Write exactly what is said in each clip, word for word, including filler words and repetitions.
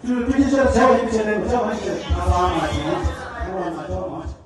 ཐུགས་རྗེ་ཆེ། བྱ་བ་ཡིན་ཕྱིར་ལས་མི་བྱ་བ་ཞིག་ཨ་ལ་མ་བྱུང་། བྱ་བ་མ་བྱུང་།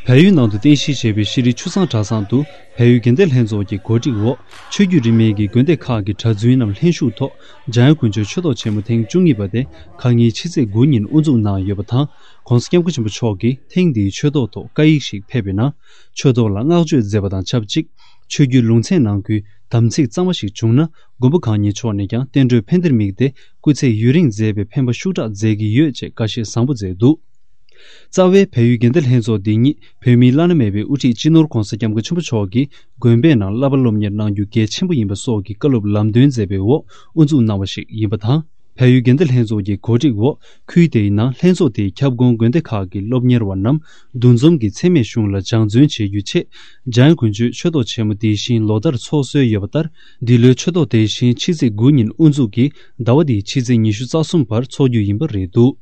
བལ་ཡུལ་ནང་དུ་རྟེན་གཞི་བྱས་པའི་ཤེས་རིག་ཆུ་བཟང་གྲྭ་ཚང་དུ་བལ་ཡུལ་དགེ་ལྡན་ལྷན་ཚོགས་ཀྱི་གོ་སྒྲིག་འོག་ཆོས་བརྒྱུད་རིས་མེད་ཀྱི་དགོན་སྡེ་ཁག་གི་གྲྭ་བཙུན་རྣམས་ལྷན་ཞུགས་ཐོག་འཇམ་དབྱངས་དཀོན་མཆོག་ཆོས་ཐོག་ཆེན་མོ་ཐེངས་བཅུ་གཉིས་པ་དེ་ཁ་ཉིན་ཕྱི་ཚེས་དགུ་ཉིན་དབུ་འཛུགས་གནང་ཡོད་པ་དང་། ྋགོང་ས་ྋསྐྱབས་མགོན་ཆེན་པོ་མཆོག་གིས་ཐེངས་འདིའི་ཆོས་ཐོག་ཐོག་བཀའ་ཡིག་ཞིག་ཕེབས་པའི་ནང་། ཆོས་ཐོག་ལ་བསྔགས་བརྗོད་མཛད་པ་དང་ཆབས་ཅིག་ཆོས་བརྒྱུད་ལུང་ཚན་ནང་ཁུལ་དམ་ཚིག་གཙང་མ་ཞིག་བྱུང་ན། མགོན་པོ་གང་ཉིད་མཆོག་ནས་ཀྱང་བསྟན་འགྲོའི་ཕན་བདེར་དམིགས་ཏེ་སྐུ་ཚེ་ཡུན་རིང་མཛད་པའི་ཕན་པ་ཤུགས་དྲག་མཛད་ཀྱི་ཡོད་ཅེས་བཀའ་བཞེས་བཟང་པོ་མཛད་འདུག་རྩ་བའི་བལ་ཡུལ་དགེ་ལྡན་ལྷན་ཚོགས་འདི་ཉིད་བོད་མིའི་བླ་ན་མེད་པའི་དབུ་ཁྲིད་སྤྱི་ནོར་ྋགོང་ས་ྋསྐྱབས་མགོན་ཆེན་པོ་མཆོག་གིས་དགོན་པའི་ནང་བསླབ་པ་སློབ་གཉེར་གནང་རྒྱུ་གལ་ཆེན་པོ་ཡིན་པ་སོགས་ཀྱི་བཀའ་སློབ་ལམ་སྟོན་མཛད་པའི་འོག་དབུ་འཛུགས་གནང་བ་ཞིག་ཡིན་པ་དང་། བལ་ཡུལ་དགེ་ལྡན་ལྷན་ཚོགས་ཀྱི་གོ་སྒྲིག་འོག་ཁུལ་དེའི་ནང་ལྷན་ཚོགས་དེའི་ཁྱབ་ཁོངས་དགོན་སྡེ་ཁག་གི་སློབ་གཉེར་བ་རྣམས་འདུ་འཛོམས་ཀྱིས་འཚེ་མེད་གཞུང་ལ་སྦྱང་བརྩོན་བྱེད་རྒྱུའི་ཆེད། འཇམ་དབྱངས་དཀོན་མཆོག་ཆོས་ཐོག་ཆེན་མོ་འདི་བཞིན་ལོ་ལྟར་འཚོགས་སྲོལ་ཡོད་པ་ལྟར། འདི་ལོའི་ཆོས་ཐོག་དེ་བཞིན་ཕྱི་ཚེས་དགུ་ཉིན་དབུ་འཛུགས་ཀྱིས་ཟླ་བ་འདིའི་ཕྱི་ཚེས་ཉི་ཤུ་རྩ་གསུམ་བར་འཚོགས་རྒྱུ་ཡིན་པ་རེད་འདུག་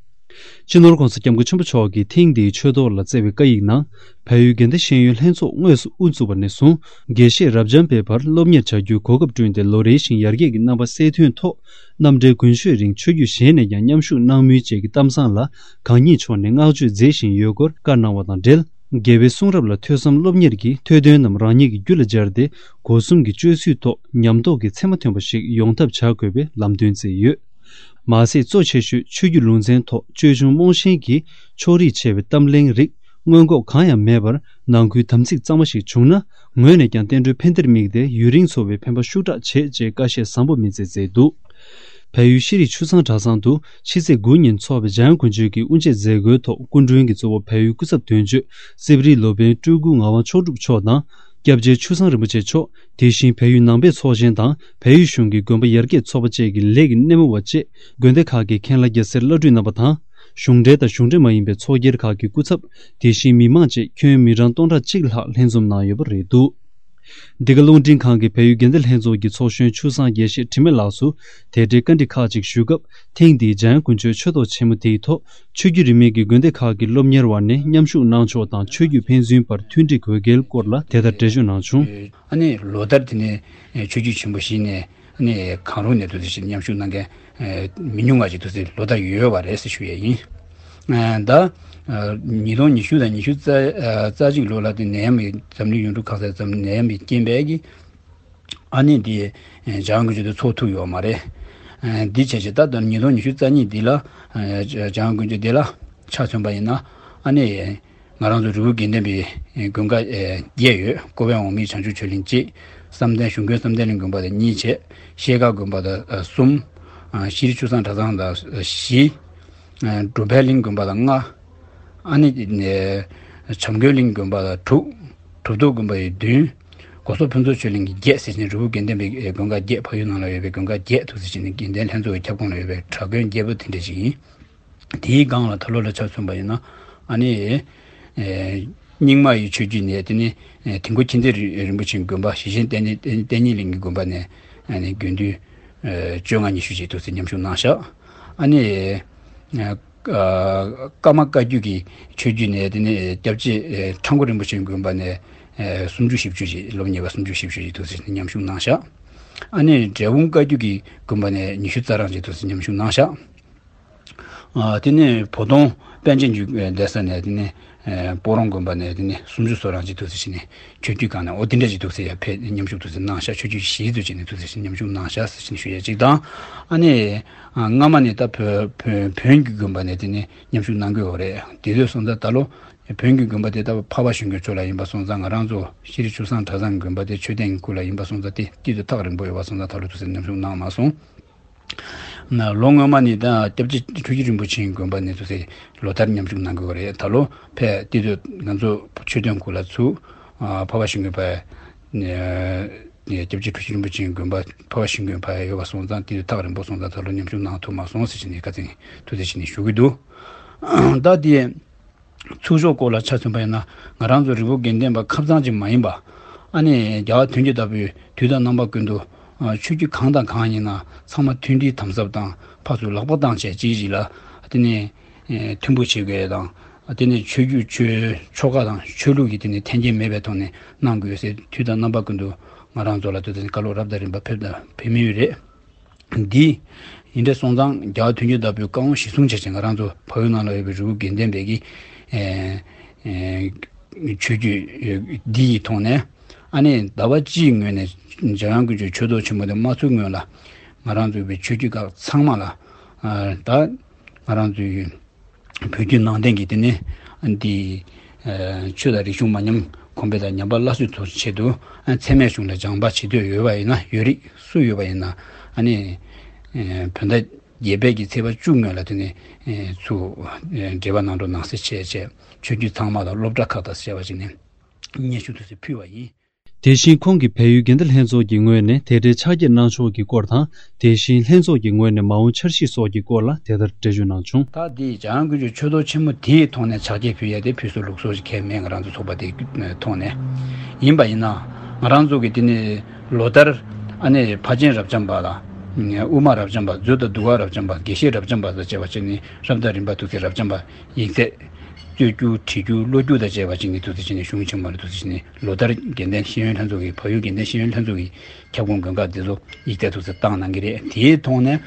སྤྱི་ནོར་ྋགོང་ས་ྋསྐྱབས་མགོན་ཆེན་པོ་མཆོག་གིས་ཐེངས་འདིའི་ཆོས་ཐོག་ལ་བསྩལ་བའི་བཀའ་ཡིག་ནང་། བལ་ཡུལ་དགེ་ལྡན་ཤེས་ཡོན་ལྷན་ཚོགས་དངོས་སུ་དབུ་བཙུགས་པ་ནས་བཟུང་། དགེ་བཤེས་རབ་འབྱམས་པའི་བར་སློབ་གཉེར་བྱ་རྒྱུའི་གོ་སྐབས་བསྐྲུན་ཏེ། ལོ་རེ་བཞིན་ཡར་རྒྱས་ཀྱི་རྣམ་པ་གསལ་ཐོན་ཐོག་རྣམ་འགྲེལ་རྒྱུན་ཤོས་རིང་ཆོས་བརྒྱུད་གཞན་ནས་ཀྱང་མཉམ་ཞུགས་གནང་མུས་བཅས་ཀྱི་གཏམ་བཟང་ལ་གང་ཉིད་མཆོག་ནས་བསྔགས་བརྗོད་མཛད་བཞིན་ཡོད་སྐོར་བཀའ་གནང་བ་དང་འབྲེལ། རྒྱལ་བའི་གསུང་རབ་ལ་ཐོས་བསམ་སློབ་གཉེར་གྱིས་ཐོས་དོན་རྣམས་རང་ཉིད་ཀྱི་རྒྱུད་ལ་སྦྱར་ཏེ། སྒོ་གསུམ་གྱི་སྤྱོད་ཚུལ་ཐོག་ཉམས་རྟོགས་ཀྱི་ཚད་མ་ཐོན་པ་ཞིག་ཡོང་ཐབས་བྱ་དགོས་པའི་ལམ་སྟོན་མཛད་ཡོད། མ་ཟད་གཙོ་ཆེ་ཤོས་ཆོས་བརྒྱུད་ལུང་ཚན་ཐོག་ཅོལ་ཆུང་རྨོངས་ཞེན་གྱིས་ཕྱོགས་རིས་ཆེ་བའི་གཏམ་གླེང་རིགས་སྔོན་འགོག་གང་ཡང་མེད་པར། ནང་ཁུལ་དམ་ཚིག་གཙང་མ་ཞིག་བྱུང་ན། ངོས་ནས་ཀྱང་བསྟན་འགྲོའི་ཕན་བདེར་དམིགས་ཏེ་ཡུན་རིང་འཚོ་བའི་ཕན་པ་ཤུགས་དྲག་བྱེད་ཅེས་བཀའ་བཞེས་བཟང་པོ་མི་མཛད་མཛད་འདུག་བལ་ཡུལ་ཤེས་རིག་ཆུ་བཟང་གྲྭ་ཚང་དུ་ཕྱི་ཚེས་དགུ་ཉིན་འཚོགས་པའི་འཇམ་དབྱངས་དཀོན་མཆོག་གི་དབུ་འབྱེད་མཛད་སྒོའི་ཐོག་སྐུ་མགྲོན་གྱིས་གཙོ་བོ་བལ་ཡུལ་སྐུ་ཚབ་དོན་གཅོད་སེ་བ་རི་ལོ་པཎ་སྤྲུལ་སྐུ་ངག་དབང་མཆོག་གྲུབ་མཆོག་དང་། སྐྱབས་རྗེ་ཆུ་བཟང་རིན་པོ་ཆེ་མཆོག་དེ་བཞིན་བལ་ཡུལ་ནང་པའི་ཚོགས་ཆེན་དང་བལ་ཡུལ་གཞུང་གི་དགོན་པ་ཡར་རྒྱས་ཚོགས་པ་བཅས་ཀྱི་ལས་ཀྱི་སྣེ་མོ་བ་བཅས་དགོན་སྡེ་ཁག་གི་མཁན་བླ་རྒྱལ་སྲས་བླ་སྤྲུལ་རྣམ་པ་དང་། གཞུང་འབྲེལ་དང་གཞུང་འབྲེལ་མ་ཡིན་པའི་ཚོགས་སྒེར་ཁག་གི་སྐུ་ཚབ། དེ་བཞིན་མི་མང་བཅས་ཁྱོན་མི་གྲངས་སྟོང་ཕྲག་གཅིག་ལྷག་ལྷན་འཛོམས་གནང་ཡོད་པ་རེད་འདུག་འདི་ག་རླུང་འཕྲིན་ཁང་གིས་བལ་ཡུལ་དགེ་ལྡན་ལྷན་ཚོགས་ཀྱི་ཚོགས་གཞོན་ཆུ་བཟང་དགེ་བཤེས་དྲི་མེད་ལགས་སུ་དེ་འབྲེལ་བཀའ་འདྲི་ཁག་ཅིག་ཞུས་སྐབས། ཐེངས་འདིའི་འཇམ་དབྱངས་དཀོན་མཆོག་ཆོས་ཐོག་ཆེན་མོ་དེའི་ཐོག་ཆོས་བརྒྱུད་རིས་མེད་ཀྱི་དགོན་སྡེ་ཁག་གི་སློབ་གཉེར་བ་ནས་མཉམ་ཞུགས་གནང་ཕྱོགས་དང་ཆོས་བརྒྱུད་ཕན་ཚུན་བར་མཐུན་སྒྲིལ་དགོས་གལ་སྐོར་ལ་དེ་ལྟར་འགྲེལ་བརྗོད་གནང་བྱུང་། ཨ་ནི་ལོ་ལྟར་དེ་ནས་ཆོས་བརྒྱུད་ཆེན་པོ་བཞི་ནས་ཨ་ནི་གང་རུང་ནས་དུ་དེ་བཞིན་མཉམ་ཞུགས་གནང་མཁན་མི་ཉུང་བ་ཅིག་དུ་ལོ་ལྟར་ཡོད་པ་རེད་ཟེར་ཞུ་ཡས་ཡིན། ད་ཉིས་སྟོང་ཉི་ཤུ་དང་ཉི་ཤུ་རྩ་གཅིག་ལོ་ལ་དེ་ནད་ཡམས་འཛམ་གླིང་ཡུལ་གྲུ་གང་སར་འཛམ་ནད་ཡམས་རྐྱེན་པས་ཀྱི། ཨ་ནི་འདི་འཇམ་དབྱངས་དཀོན་མཆོག་དེ་ཚོགས་ཐུབ་ཡོད་མ་རེད། འདི་བྱས་བྱས་ད་ལྟ་ཉིས་སྟོང་ཉི་ཤུ་རྩ་གཉིས་འདི་ལ་འཇམ་དབྱངས་དཀོན་མཆོག་འདི་ལ་ཆ་མཚོན་པ་ཡིན་ན། ཨ་ནི་ང་རང་ཚོ་རི་བོ་དགེ་ལྡན་པའི་དགོན་ཁག་བརྒྱད་ཡོད། ཀོ་བན་འོག་མིན་བྱང་ཆུབ་ཆོས་གླིང་གཅིག་བསམ་གཏན་གཞུང་དགོན་བསམ་གཏན་གླིང་དགོན་པ་དང་གཉིས་བྱས། ཤེལ་དཀར་དགོན་པ་དང་གསུམ། ཤེས་རིག་ཆུ་བཟང་གྲྭ་ཚང་དང་བཞི། གྲུབ་པའི་གླིང་དགོན་པ་དང་ལྔ། ཨ་ནི་བྱམས་མགོན་གླིང་དགོན་པ་དང་དྲུག་གྲུབ་ཐོབ་དགོན་པ་ཡི་བདུན། གོ་སོག་ཕུན་ཚོགས་ཆོས་གླིང་གི་བརྒྱད་ཟེར་ནས་རི་བོ་དགེ་ལྡན་པའི་དགོན་ཁག་བརྒྱད། ཕ་ཡུལ་ནང་ལ་ཡོད་པའི་དགོན་ཁག་བརྒྱད་དུ་ཟེར་ནས་དགེ་ལྡན་ལྷན་ཚོགས་ཀྱི་ཁྱབ་ཁོངས་ལ་ཡོད་པའི་གྲྭ་དགོན་བརྒྱད་པོ་དེ་འདྲ་ཞིག་ཡིན། དེའི་སྒང་ལ་ད་ལོ་ལ་ཆ་མཚོན་པ་ཡིན་ན། ཨ་ནི་རྙིང་མ་ཡི་ཆོས་བརྒྱུད་ནས་དེ་ནི་དིལ་མགོ་མཁྱེན་བརྩེ་རིན་པོ་ཆེའི་དགོན་པ་ཞེ་ཆེན་བསྟན་བསྟན་གཉིས་གླིང་གི་དགོན་པ་ནས་ཨ་ནི་དགེ་འདུན་བཅོ་ལྔ་ཉི་ཤུ་ཞིག་དུ་ཟེར་མཉམ་ཞུགས་གནང་ཤག་ཨ་ནི། ཀརྨ་བཀའ་བརྒྱུད་ཀྱི་ཆོས་བརྒྱུད་ནས་དེ་ནས་སྐྱབས་རྗེ་ཁྲ་འགུ་རིན་པོ་ཆེའི་དགོན་པ་ནས་སུམ་ཅུ་བཞི་བཅུ་ཞིག་སློབ་གཉེར་བ་སུམ་ཅུ་བཞི་བཅུ་ཞིག་དུ་མཉམ་ཞུགས་གནང་ཤག་ཨ་ནི་འབྲས་སྤུངས་བཀའ་བརྒྱུད་ཀྱི་དགོན་པ་ནས་ཉི་ཤུ་རྩ་གྲངས་ཅིག་དུ་མཉམ་ཞུགས་གནང་ཤག་དེ་ནས་བོ་དོང་པཎ་ཆེན་བརྒྱུད་བསྡད་ས་ནས་དེ་ནས་སྤོ་རོང་དགོན་པ་ནས་དེ་ནས་སུམ་ཅུ་སོ་གྲངས་ཅིག་དུ་ཟེར་ནས་ཆོས་བརྒྱུད་སྒང་ནས་འོ་དེ་འདྲ་ཅིག་དུ་ཟེར་ཡ་ཕེབས་མཉམ་ཞུགས་དུ་ཟེར་གནང་ཤག་ཆོས་བརྒྱུད་བཞིའི་དུ་ཅིག་ནས་དུ་ཟེར་མཉམ་ཞུགས་གནང་ཤག་ཟེར་ནས་ཞུ་ཡ་ཅིག་དང་། ཨ་ནི། སྔ་མ་ནས་ད་བོད་བོད་བོན་གྱི་དགོན་པ་ནས་དེ་ནས་མཉམ་ཞུགས་གནང་གི་ཡོད་རེད། དེ་དུས་སོང་ཙང་ད་ལོ་བོན་གྱི་དགོན་པ་དེ་ད་འཕགས་པ་ཞིང་མགོན་མཆོག་ལ་ཡིན་པ་སོང་ཙང་། ང་རང་ཚོ་ཤེས་རིག་ཆོས་བཟང་གྲྭ་ཚང་གི་དགོན་པ་དེ་མཆོད་རྟེན་གྱི་སྐུ་ལ་ཡིན་པ་སོང་ཙང་དེ་དེ་དུས་ཐག་རིང་པོ་ཡོད་པ་སོང་ཙང་ད་ལོ་དུ་ཟེར་མཉམ་ཞུགས་གནང་མ་སོང་། ལོ་སྔོན་མ་ནས་ད་སྐྱབས་རྗེ་ཁྲུ་བཞི་རིན་པོ་ཆེའི་དགོན་པ་ནས་དུ་ཟེར་ལོ་ལྟར་མཉམ་ཞུགས་གནང་གི་ཡོད་རེད། ད་ལོ་ཕེབས་དེ་དུས་ང་ཚོ་མཆོད་རྟེན་གྱི་སྐུ་ལ་ཚུར་འཕགས་པ་ཞིང་མགོན་ཕ། སྐྱབས་རྗེ་ཁྲུ་བཞི་རིན་པོ་ཆེའི་དགོན་པ་འཕགས་པ་ཞིང་མགོན་ཕ་ཡ་ཡོད་པ་སོང་ཙང་དེ་དུས་ཐག་རིང་པོ་སོང་ཙང་ད་ལོ་མཉམ་ཞུགས་གནང་ཐུབ་མ་སོང་ཟེར་བྱས་ནས་བཀའ་དྲིན་ཐུགས་རྗེ་ཆེ་ནས་ཞུ་གི་འདུག་ད་དེ་ཚུར་ཕྱོགས་སྐོར་ལ་ཆ་མཚོན་པ་ཡིན་ན། ང་རང་ཚོ་རི་བོ་དགེ་ལྡན་པ་ཁབ་ཚང་ཅིག་མ་ཡིན་པ། ཨ་ནི་རྒྱལ་བ་དོན་གྱི་བདག་པོས་དུས་དང་རྣམ་པ་ཀུན་ཏུ་ཆོས་བརྒྱུད་གང་དང་གང་ཡིན་ན་ཚང་མ་མཐུན་སྒྲིལ་དམ་ཟབ་དང་ཕར་ཚུར་ལག་པ་བཏང་བྱས་གཅིག་གཅིག་ལ་དེ་ནས་མཐུན་པོ་བྱེད་དགོས་དང་། དེ་ནས་ཆོས་བརྒྱུད་ཆོས་ཆོ་ག་དང་ཆོས་ལུགས་ཀྱི་དེ་ནས་འཐེན་འཁྱེར་མེད་པའི་ཐོག་ནས་གནང་དགོས་ཟེར་དུས་དང་རྣམ་པ་ཀུན་ཏུ་ང་རང་ཚོ་ལ་དེ་ནས་བཀའ་སློབ་རབ་དང་རིམ་པ་ཕེབས་དང་ཕེབས་མུས་རེད། འདི་ཡིན་འདྲ་སོང་ཙང་རྒྱལ་བ་དོན་གྱི་བདག་པོའི་བཀའ་དབང་གཞིར་བཟུང་བྱས་ཅིང་ང་རང་ཚོ་བལ་ཡུལ་ནང་ལ་ཡོད་པའི་རི་བོ་དགེ་ལྡན་པའི་གི་ཨེ་ཨེ་ཆོས་བརྒྱུད་འདི་ཡི་ཐོག་ནས་ཨ་ནི་ཟླ་བ་གཅིག་སྔོན་ནས་འཇམ་དབྱངས་དཀོན་མཆོག་ཆོས་ཐོག་ཆེན་མོ་དེ་མ་ཚུགས་སྔོན་ལ་ང་རང་ཚོའི་བའི་ཆོས་བརྒྱུད་ཁག་ཚང་མ་ལ་ཨ་ད་ང་རང་ཚོའི་བོད་བརྒྱུད་ནང་བསྟན་གྱི་དེ་ནི་འདི་ཆོས་དང་རིག་གཞུང་མ་ཉམས་གོང་འཕེལ་དང་ཉམས་པ་སླར་གསོའི་ཐོག་ཆེད་དུ་ཨ་འཚེ་མེད་གཞུང་ལ་སྦྱངས་པ་བྱེད་འདོད་ཡོད་པ་ཡིན་ན་ཡོད་རིགས་སུ་ཡོད་པ་ཡིན་ན་ཨ་ནི་བོད་ཟླ་བརྒྱད་པའི་གི་ཚེས་པ་བཅུ་སྔོན་ལ་དེ་ནི་ཚུར་འབྲེལ་བ་གནང་རོགས་གནང་ཟེར་བྱས་བྱས་ཆོས་བརྒྱུད་ཚང་མ་དང་སློབ་གྲྭ་ཁག་དང་ཟེར་བ་ཅིག་ནས་སྙན་ཞུ་དུ་ཟེར་ཕུལ་བ་ཡིན། དེ་བཞིན་ཁོང་གིས་བལ་ཡུལ་དགེ་ལྡན་ལྷན་ཚོགས་ཀྱི་ངོས་ནས་དེ་འབྲེལ་ཕྱག་འཁྱེར་གནང་ཕྱོགས་ཀྱི་སྐོར་དང་། དེ་བཞིན་ལྷན་ཚོགས་ཀྱི་ངོས་ནས་མ་འོངས་འཆར་གཞི་སོགས་ཀྱི་སྐོར་ལ་དེ་ལྟར་འགྲེལ་བརྗོད་གནང་བྱུང་། ད་འདི་འཇམ་དབྱངས་དཀོན་མཆོག་ཆོས་ཐོག་ཆེན་མོ་དེའི་ཐོག་ནས་ཕྱག་འཁྱེར་ཕུལ་ཡ་དེ་ཕུལ་སྲོལ་ལུགས་སྲོལ་ཞིག་གང་ཡང་མེད། ང་རང་ཚོ་ཚོགས་པ་དེའི་ཐོག་ནས་ཡིན་པ་ཡིན་ན་ང་རང་ཚོ་གི་དེ་ནི་ལོ་ལྟར་ཨ་ནི་ཕ་ཆེན་རབ་འབྱམས་པ་ལ་དབུ་མ་རབ་འབྱམས་པ་མཛོད་དང་འདུལ་བ་རབ་འབྱམས་པ་དགེ་བཤེས་རབ་འབྱམས་པ་དང་བཅས་པ་བྱས་ནས་རབ་དང་རིམ་པ་ཐུགས་སྲས་རབ་འབྱམས་པ་ཡིག་ཚད། རྩོད་རྒྱུགས་བྲིས་རྒྱུགས་ཀློག་རྒྱུགས་དང་བཅས་པ་ཅིག་ནི་ཐུགས་སྲས་ཅིག་ནི་གཞུང་ཆེན་མོ་ལ་ཐུགས་སྲས་ཅིག་ནི་ལོ་ལྟར་དགེ་ལྡན་ཤེས་ཡོན་ལྷན་ཚོགས་ཀྱི་བལ་ཡུལ་དགེ་ལྡན་ཤེས་ཡོན་ལྷན་ཚོགས་ཀྱི་ཁྱབ་ཁོངས་དགོན་ཁག་འདི་ཚོ་ཡིག་ཚད་ཐུགས་སྲས་བཏང་གནང་གི་རེད། དེའི་ཐོག་ནས་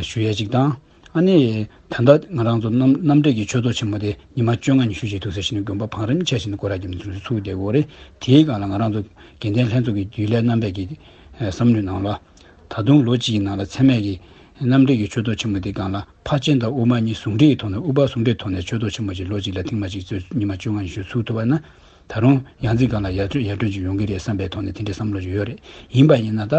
ཞུ་ཡས་ཅིག་དང་ཨ་ནི་ད་ལྟ་ང་རང་ཚོ་རྣམ་རྣམ་འགྲེལ་གྱི་ཆོས་ཚོགས་ཆེན་མོ་དེ་ཉི་མ་བཅོ་ལྔ་ཉི་ཤུ་ཞིག་ཐུགས་སྲས་ཅིག་ནི་དགོན་པ་བང་རིམ་ཆ་བཞིན་དུ་སྐོར་ར་རྒྱབ་ནས་ཚུགས་བསྡད་ཡོད་རེད། དེའི་སྒང་ལ་ང་རང་ཚོ་དགེ་ལྡན་ལྷན་ཚོགས་ཀྱི་རྒྱུན་ལས་རྣམ་པས་ཀྱི་བསམ་བློའི་ནང་ལ་ད་དུང་ལོ་གཅིག་གི་ནང་ལ་ཚད་མེད་ཀྱི་རྣམ་འགྲེལ་གྱི་ཆོས་ཚོགས་ཆེན་མོ་དེའི་སྒང་ལ་ཕར་ཕྱིན་དང་དབུ་མ་གཉིས་ཟུང་འབྲེལ་གྱི་ཐོག་ནས་དབུ་ཕར་ཟུང་འབྲེལ་ཐོག་ནས་ཆོས་ཚོགས་ཆེན་མོ་ཅིག་ལོ་གཅིག་ལ་ཐེངས་མ་གཅིག་ཚུར་ཉི་མ་བཅོ་ལྔ་ཉི་ཤུ་ཚུགས་ཐུབ་པ་ན་ད་རུང་ཡང་རྩིས་སྒང་ལ་ཡར་ཡར་ཐོན་ཅིག་ཡོང་གི་རེད་བསམ་པའི་ཐོག་ནས་དེ་འདྲའི་བསམ་བློ་ཅིག་ཡོད་རེད། ཡིན་པ་ཡིན་ན་ད་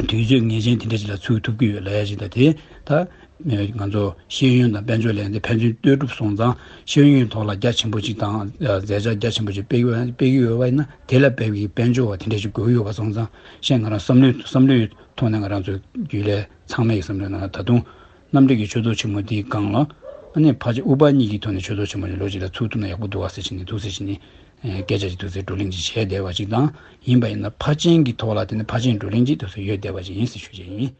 དུས་ཚོད་ངེས་ཅན་དེ་འདྲ་ཅིག་ལ་ཚུགས་ཐུབ་ཀྱི་ཡོད་ལབ་ཡ་ཅིག་ད་དེ་ད་ང་ཚོ་ཤེས་ཡོན་དང་དཔལ་འབྱོར་ལས་དེ་ཕན་ཚུན་ལྟོས་གྲུབ་སོང་ཙང་ཤེས་ཡོན་ཐོག་ལ་རྒྱ་ཆེན་པོ་ཅིག་དང་མཛད་འཆར་རྒྱ་ཆེན་པོ་ཅིག་སྤེལ་གྱི་ཡོད་སྤེལ་གྱི་ཡོད་པ་ཡིན་ན་དེ་ལ་སྤེལ་བའི་དཔལ་འབྱོར་བ་དེ་འདྲ་ཅིག་དགོས་ཀྱི་ཡོད་པ་སོང་ཙང་ཤེས་ང་རང་བསམ་བློའི་བསམ་བློའི་ཐོག་ནས་ང་རང་ཚོའི་རྒྱུན་ལས་ཚང་མའི་བསམ་བློའི་ནང་ལ་ད་དུང་རྣམ་འགྲེལ་གྱི་ཆོས་ཚོགས་ཆེན་མོ་འདིའི་སྒང་ལ་ཨ་ནི་ཕལ་ཆེར་དབུ་ཕར་གཉིས་ཀྱི་ཐོག་ནས་ཆོས་ཚོགས་ཆེན་མོ་ཞིག་ལོ་གཅིག་ལ་ཚུགས་ཐུབ་ན་ཡག་པོ་འདུག་བ་ཟེར་བྱས་ནས་ཐུགས་སེམས་བཞེས་ནས་སྐད་ཆ་ཞིག་ཐུགས་སེམས་བགྲོ་གླེང་ཅིག་བྱས་བསྡད་པ་ཅིག་དང་ཡིན་པ་ཡིན་ན་ཕར་ཕྱིན་གྱི་ཐོག་ལ་དེ་ནི་ཕར་ཕྱིན་བགྲོ་གླེང་ཅིག་ཐུགས་སེམས་ཡོད་བསྡད་པ་ཅིག་ཡིན་ཟེར་ཞུ་བྱས་ཡིན།